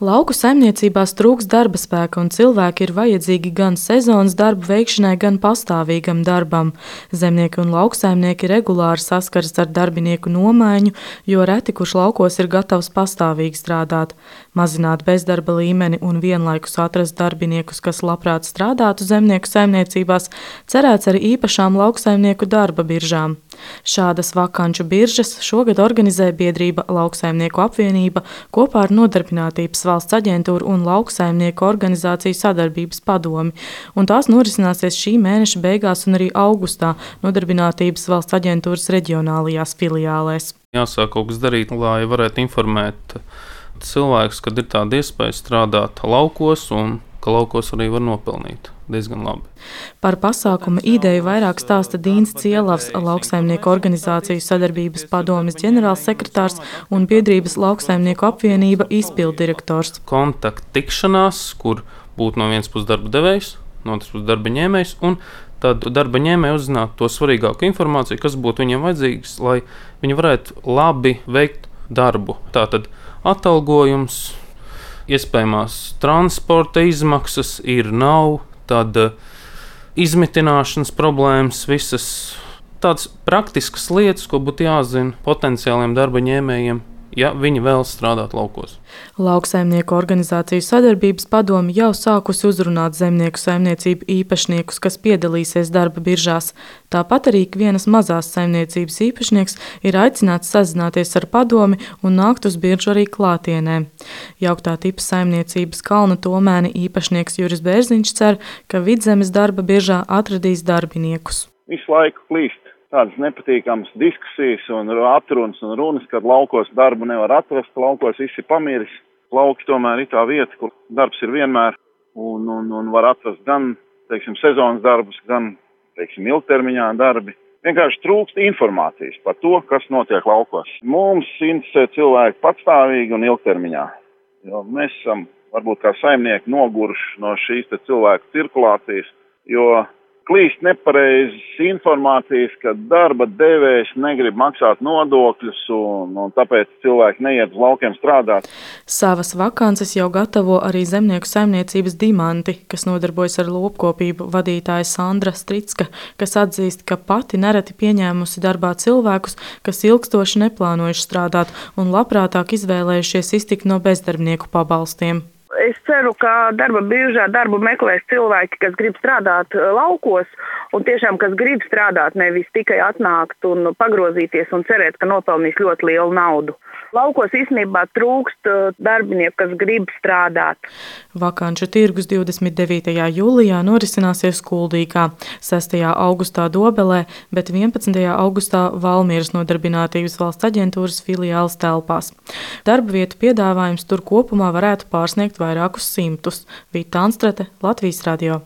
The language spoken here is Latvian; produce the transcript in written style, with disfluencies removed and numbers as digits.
Lauku saimniecībās trūkst darba spēka, un cilvēki ir vajadzīgi gan sezonas darbu veikšanai, gan pastāvīgam darbam. Zemnieki un lauksaimnieki regulāri saskaras ar darbinieku nomaiņu, jo reti kurš laukos ir gatavs pastāvīgi strādāt. Mazināt bezdarba līmeni un vienlaikus atrast darbiniekus, kas labprāt strādātu zemnieku saimniecībās, cerēts ar īpašām lauksaimnieku darba biržām. Šādas vakanču biržas šogad organizē biedrība Lauksaimnieku apvienība kopā ar Nodarbinātības valsts aģentūru un Lauksaimnieku organizāciju sadarbības padomi, un tās norisināsies šī mēneša beigās un arī augustā Nodarbinātības valsts aģentūras reģionālajās filiālēs. Jāsāk kaut kas darīt, lai varētu informēt cilvēkus, kad ir tāda iespēja strādāt laukos un ka laukos arī var nopelnīt diezgan labi. Par pasākuma ideju vairāk stāsta Dīns Cielavs, Lauksaimnieku organizāciju sadarbības padomes ģenerālsekretārs un biedrības Lauksaimnieku apvienība izpilddirektors. Kontakta tikšanās, kur būtu no vienas puses darba devējs, no otras puses darba ņēmējs, un tad darba ņēmēji uzzinātu to svarīgāko informāciju, kas būtu viņiem vajadzīgs, lai viņi varētu labi veikt darbu. Tātad atalgojums, iespējamās transporta izmaksas nav, tad izmitināšanas problēmas, visas tādas praktiskas lietas, ko būtu jāzina potenciāliem darba ņēmējiem, ja viņi vēlas strādāt laukos. Lauksaimnieku organizāciju sadarbības padomi jau sākusi uzrunāt zemnieku saimniecību īpašniekus, kas piedalīsies darba biržās. Tāpat arī ikvienas mazās saimniecības īpašnieks ir aicināts sazināties ar padomi un nākt uz biržu arī klātienē. Jauktā tipa saimniecības Kalna Tomēni īpašnieks Juris Bērziņš cer, ka Vidzemes darba biržā atradīs darbiniekus. Visu laiku klīst tādas nepatīkamas diskusijas un atrunas un runas, kad laukos darbu nevar atrast, laukos viss ir pamiris. Lauki tomēr ir tā vieta, kur darbs ir vienmēr un var atrast gan, sezonas darbus, gan, ilgtermiņā darbi. Vienkārši trūkst informācijas par to, kas notiek laukos. Mums interesē cilvēki patstāvīgi un ilgtermiņā, jo mēs esam varbūt kā saimnieki noguruši no šīs cilvēku cirkulācijas, jo klīst nepareizas informācijas, ka darba devējs negrib maksāt nodokļus un tāpēc cilvēki neiet uz laukiem strādāt. Savas vakances jau gatavo arī zemnieku saimniecības Dimanti, kas nodarbojas ar lopkopību vadītāja Sandra Stricka, kas atzīst, ka pati nereti pieņēmusi darbā cilvēkus, kas ilgstoši neplānojuši strādāt un labprātāk izvēlējušies iztikt no bezdarbnieku pabalstiem. Es ceru, ka darba biržā darbu meklēs cilvēki, kas grib strādāt laukos un tiešām, kas grib strādāt, nevis tikai atnākt un pagrozīties un cerēt, ka nopelnīs ļoti lielu naudu. Laukos īstenībā trūkst darbinieku, kas grib strādāt. Vakanču tirgus 29. jūlijā norisināsies Kuldīgā, 6. augustā Dobelē, bet 11. augustā Valmieras Nodarbinātības valsts aģentūras filiāles telpās. Darba vietu piedāvājums tur kopumā varētu pārsniegt vairākus simtus. Vita Anstrate, Latvijas radio.